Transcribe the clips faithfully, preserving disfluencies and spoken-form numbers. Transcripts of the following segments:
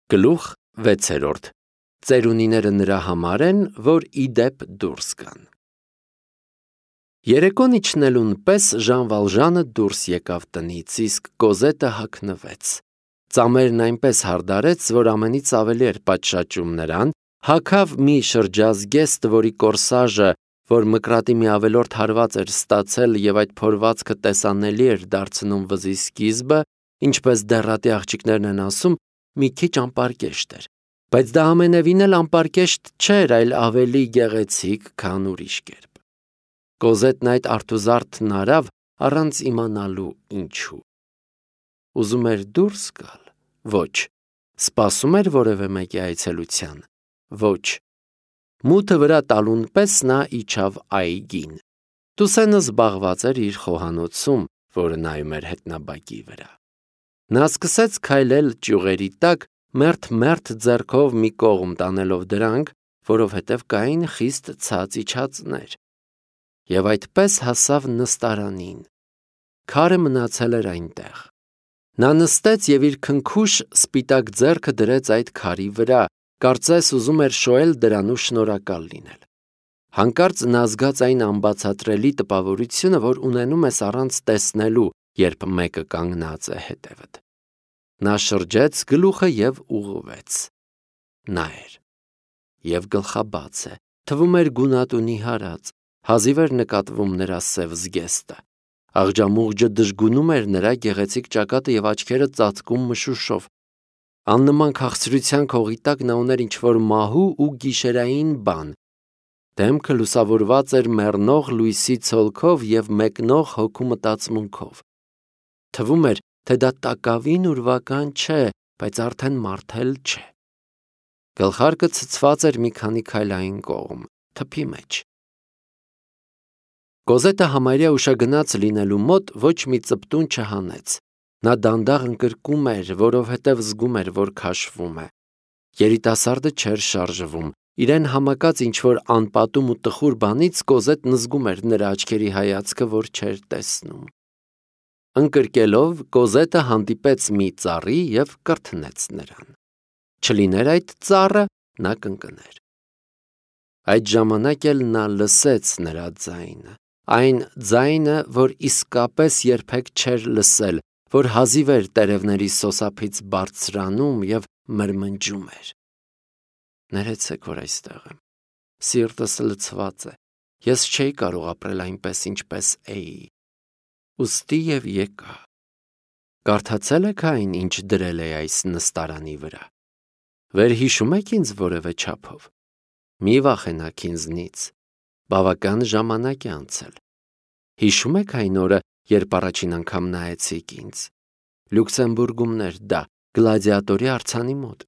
Գլուխ վեցերորդ. Ծերունիները նրա համար են, որ իդեպ դուրս գան։ Երեկոն իջնելուն պես Ժան Վալժանը դուրս եկավ տնից, իսկ Կոզետը հագնվեց։ Ծամերն այնպես հարդարեց, որ ամենից ավելի էր պատշաճում նրան, հագավ մի շրջազգեստ, որի կորսաժը, որ մկրատի մի ավելորդ հարված էր ստացել և այդ փորվածքը տեսանելի էր դարձնում վզի սկիզբը, ինչպես դեռատի աղջիկներն են ասում, մի քիչ անպարկեշտ էր, բայց դա ամենևին էլ անպարկեշտ չէր, այլ ավելի գեղեցիկ, քան ուրիշ կերպ։ Կոզետն այդ արթուզարդն արավ առանց իմանալու ինչու։ Ուզում էր դուրս գալ, ոչ, սպասում էր որևէ մեկի այցելության, ոչ, մութը վրա տալուն պես նա իջավ այգին։ Տուսենը զբաղված էր իր խոհանոցում, որը նայում էր հետնաբակի վրա։ Նա սկսեց քայլել ճյուղերի տակ, մերթ-մերթ ձեռքով մի կողմ տանելով դրանք, որովհետև կային խիստ ցած իջածներ։ Եվ այդպես հասավ նստարանին։ Քարը մնացել էր այնտեղ։ Նա նստեց և իր քնքուշ սպիտակ ձեռքը դրեց այդ քարի վրա, կարծես ուզում էր շոյել դրանու շնորհակալ լինել։ Հանկարծ նա զգաց այն անբացատրելի տպավորությունը, որ ունենում ես առանց տեսնելու, երբ մեկը կանգնած է հետևդ։ Նա շրջեց գլուխը և ուղղվեց։ Նա էր։ Եվ գլխաբաց է, թվում էր գունատունի հարած, հազիվ էր նկատվում նրա սև զգեստը։ Աղջամուղջը դժգունում էր նրա գեղեցիկ ճակատը և աչքերը ծածկում մշուշով։ Աննման քաղցրության քողի տակ նա ուներ ինչ-որ մահու ու գիշերային բան։ Դեմքը լուսավորված էր մեռնող լույսի ցոլքով և մեկնող հոգու մտածմունքով։ Թվում էր, թե դա տակավին ուրվական չէ, բայց արդեն մարդ էլ չէ։ Գլխարկը ցցված էր մի քանի քայլ այն կողմ, թփի մեջ։ Կոզետը համարյա ուշագնաց լինելու մոտ ոչ մի ծպտուն չհանեց։ Նա դանդաղ ընկրկում էր, որովհետև զգում էր, որ քաշվում է։ Երիտասարդը չէր շարժվում։ Իրեն համակած ինչ-որ անպատում ու տխուր բանից Կոզետն զգում էր նրա աչքերի հայացքը, որ չէր տեսնում։ Ընկրկելով, Կոզետը հանդիպեց մի ծառի և կրթնեց նրան։ Չլիներ այդ ծառը, նա կընկներ։ Այդ ժամանակ էլ նա լսեց նրա ձայնը, այն ձայնը, որ իսկապես երբեք չէր լսել, որ հազիվ էր տերևների սոսափից բարձրանում և մրմնջում էր։ Ներեցեք, որ այստեղ եմ։ Սիրտս լցված է։ Ես չէի կարող ապրել այնպես, ինչպես էի։ Ուստի և եկա։ Կարդացե՞լ եք այն, ինչ դրել էի այս նստարանի վրա։ Վերհիշում եք ինձ որևէ չափով։ Մի վախենաք ինձնից։ Բավական ժամանակ է անցել։ Հիշում եք այն օրը, երբ առաջին անգամ նայեցիք ինձ։ Լյուքսեմբուրգումներ դա, գլադիատորի արձանի մոտ։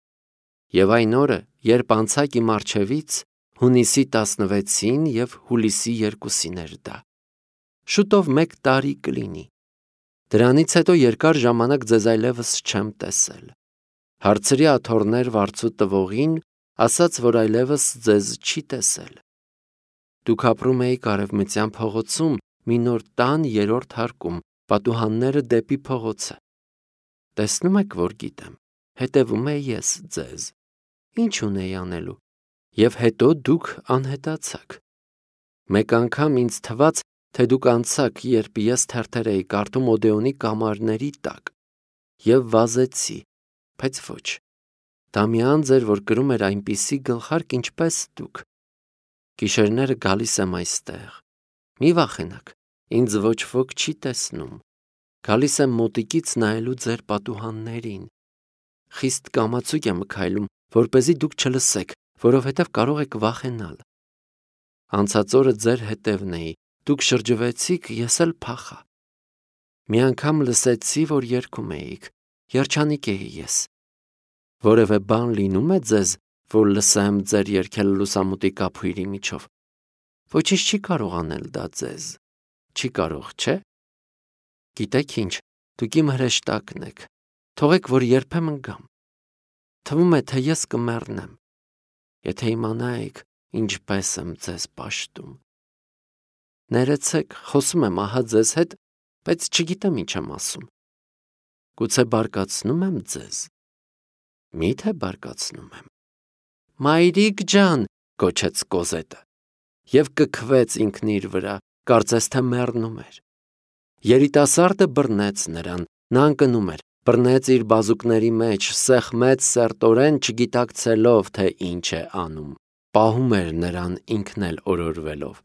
Եվ այն օրը, երբ անցաք իմ առջևից, հունիսի տասնվեցին և հուլիսի երկուսին էր դա։ Շուտով մեկ տարի կլինի։ Դրանից հետո երկար ժամանակ ձեզ այլևս չեմ տեսել։ Հարցրի աթոռներ վարձու տվողին, ասաց, որ այլևս ձեզ չի տեսել։ Դուք ապրում էիք Արևմտյան փողոցում, մի նոր տան երրորդ հարկում, պատուհանները դեպի փողոցը։ Տեսնում եք, որ գիտեմ, հետևում էի ես ձեզ։ Ինչ ունեի անելու։ Եվ հետո դուք անհետացաք։ Մեկ անգամ ինձ թվաց, թե դուք անցաք, երբ ես թերթեր էի կարդում Օդեոնի կամարների տակ։ Եվ վազեցի, բայց ոչ։ Դա մի անձ էր, որ կրում էր այնպիսի գլխարկ, ինչպես դուք։ Գիշերները գալիս եմ այստեղ։ Մի վախենաք, ինձ ոչ ոք չի տեսնում։ Գալիս եմ մոտիկից նայելու ձեր պատուհաններին։ Խիստ կամացուկ եմ քայլում, որպեսզի դուք չլսեք, որովհետև կարող եք վախենալ։ Անցած օրը ձեր հետևն էի, դուք շրջվեցիք, ես էլ փախա։ Մի անգամ լսեցի, որ երգում էիք, երջանիկ էի ես։ Որևէ բան լինում է ձեզ, որ լսեմ ձեր երգել լուսամուտի կափույրի միջով։ Ոչինչ չի կարող անել դա ձեզ։ Չի կարող, չէ՞։ Գիտեք ինչ, դուք իմ հրեշտակն եք։ Թողեք, որ երբեմն գամ։ Թվում է, թե ես կմեռնեմ։ Եթե իմանայիք, ինչպես եմ ձեզ պաշտում։ Ներեցեք, խոսում եմ ահա ձեզ հետ, բայց չգիտեմ ինչ եմ ասում։ Գուցե բարկացնում եմ ձեզ։ Մի՞թե բարկացնում եմ։ Մայրիկ ջան, գոչեց Կոզետը, և կքվեց ինքն իր վրա, կարծես թե մեռնում էր։ Երիտասարդը բռնեց նրան, նա ընկնում էր, բռնեց իր բազուկների մեջ, սեղմեց սերտորեն, չգիտակցելով, թե ինչ է անում, պահում էր նրան ինքն էլ օրորվելով։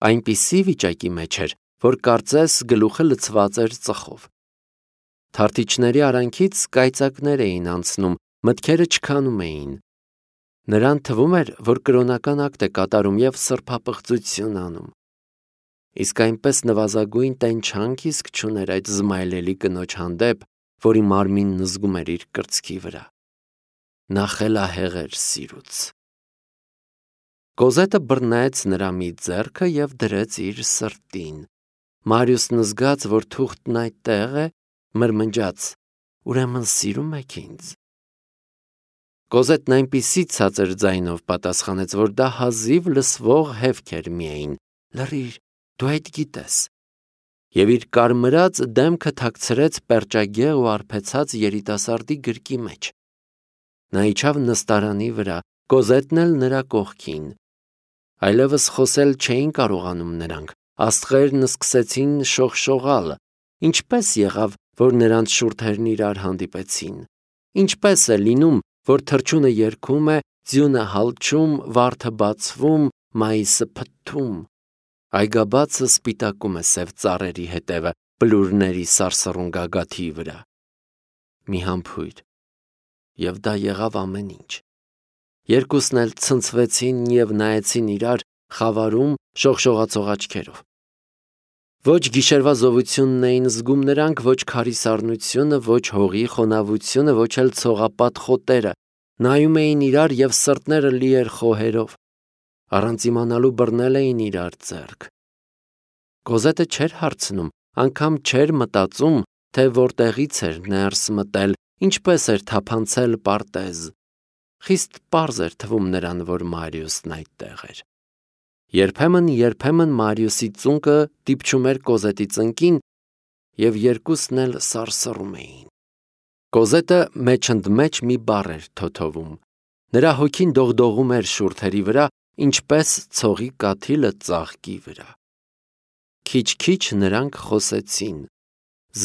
Այնպիսի վիճակի մեջ էր, որ կարծես գլուխը լցված էր ծխով։ Թարթիչների արանքից կայծակներ էին անցնում, մտքերը չքանում էին։ Նրան թվում էր, որ կրոնական ակտ է կատարում և սրբապղծություն անում։ Իսկ այնպես նվազագույն տենչանք իսկ չուներ այդ զմայլելի կնոջ հանդեպ, որի մարմինն զգում էր իր կրծքի վրա։ Նա խելահեղ էր սիրուց։ Կոզետը բռնեց նրա մի ձեռքը և դրեց իր սրտին։ Մարիուսն զգաց, որ թուղթն այդտեղ է, մրմնջաց. ուրեմն սիրում եք ինձ։ Կոզետն այնպիսի ցածր ձայնով պատասխանեց, որ դա հազիվ լսվող հևք էր միայն. լռիր, դու այդ գիտես։ Եվ իր կարմրած դեմքը թաքցրեց պերճագեղ ու արբեցած երիտասարդի գրկի մեջ։ Նա իջավ նստարանի վրա, Կոզետն էլ նրա կողքին։ Այլևս խոսել չէին կարողանում նրանք, աստղերն սկսեցին շողշողալ։ Ինչպես եղավ, որ նրանց շուրթերն իրար հանդիպեցին։ Ինչպես է լինում, որ թռչունը երգում է, ձյունը հալչում, վարդը բացվում, մայիսը փթթում, այգաբացը սպիտակում է սև ծառերի հետևը բլուրների սարսռուն գագաթի վրա։ Մի համբույր, և դա եղավ ամեն ինչ։ Երկուսն էլ ցնցվեցին և նայեցին իրար խավարում շողշողացող աչքերով։ Ոչ գիշերվա զովությունն էին զգում նրանք, ոչ քարի սառնությունը, ոչ հողի խոնավությունը, ոչ էլ ցողապատ խոտերը, նայում էին իրար և սրտները լի էր խոհերով։ Առանց իմանալու բռնել էին իրար ձեռք։ Կոզետը չէր հարցնում, անգամ չէր մտածում, թե որտեղից էր ներս մտել, ինչպես էր թափանցել պարտեզ։ Խիստ պարզ էր թվում նրան, որ Մարիուսն այդտեղ էր։ Երբեմն, երբեմն Մարիուսի ծունկը դիպչում էր Կոզետի ծնկին, և երկուսն էլ սարսռում էին։ Կոզետը մեջընդմեջ մի բառ էր թոթովում։ Նրա հոգին դողդողում էր շուրթերի վրա, ինչպես ցողի կաթիլը ծաղկի վրա։ Քիչ-քիչ նրանք խոսեցին։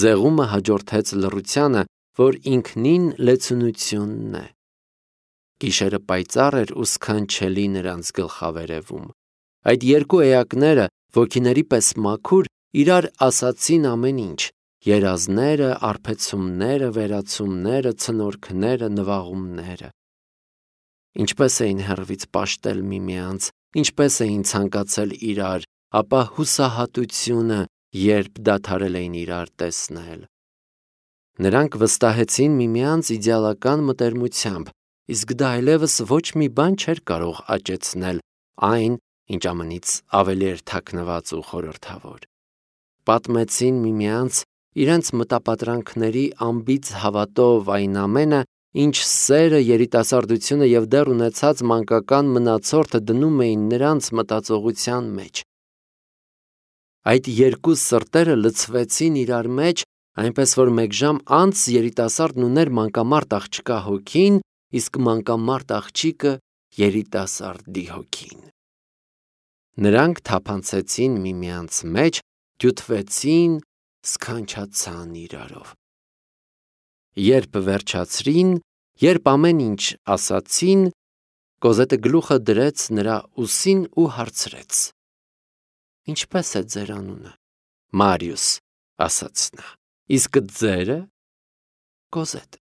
Զեղումը հաջորդեց լռությանը, որ ինքնին լեցունությունն է։ Գիշերը պայծառ էր ու սքանչելի նրանց գլխավերևում։ Այդ երկու էակները, ոգիների պես մաքուր, իրար ասացին ամեն ինչ՝ երազները, արբեցումները, վերացումները, ցնորքները, նվաղումները։ Ինչպես էին հեռվից պաշտել միմյանց, ինչպես էին ցանկացել իրար, ապա հուսահատությունը, երբ դադարել էին իրար տեսնել։ Նրանք վստահեցին միմյանց իդեալական մտերմությամբ, իսկ դա այլևս ոչ մի բան չէր կարող աճեցնել այն, ինչ ամենից ավելի էր թաքնված ու խորհրդավոր։ Պատմեցին միմյանց իրենց մտապատրանքների անբիծ հավատով այն ամենը, ինչ սերը, երիտասարդությունը և դեռ ունեցած մանկական մնացորդը դնում էին նրանց մտածողության մեջ։ Այդ երկու սրտերը լցվեցին իրար մեջ, այնպես որ մեկ ժամ անց երիտասարդն ուներ մանկամարտ աղջկա հոգին, իսկ մանկամարտ աղջիկը երիտասարդի հոգին։ Նրանք թափանցեցին միմյանց մեջ, դյութվեցին, սքանչացան իրարով։ Երբ վերջացրին, երբ ամեն ինչ ասացին, Կոզետը գլուխը դրեց նրա ուսին ու հարցրեց. Ինչպե՞ս է ձեր անունը։ Մարիուս, ասաց նա։ Իսկ ձերը։ Կոզետ։